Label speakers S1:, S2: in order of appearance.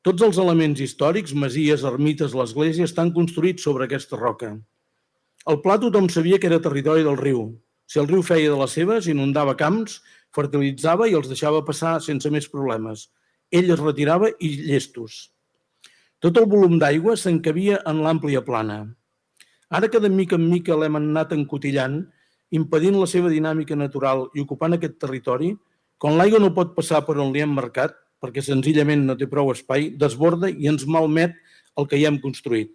S1: Tots els elements històrics, masies, ermites, l'església, estan construïts sobre aquesta roca. Al pla tothom sabia que era territori del riu. Si el riu feia de les seves, inundava camps, fertilitzava i els deixava passar sense més problemes. Ell es retirava i llestos. Tot el volum d'aigua s'encabia en l'àmplia plana. Ara que de mica en mica l'hem anat encotillant, impedint la seva dinàmica natural i ocupant aquest territori, quan l'aigua no pot passar per on li hem marcat, perquè senzillament no té prou espai, desborda i ens malmet el que hi hem construït.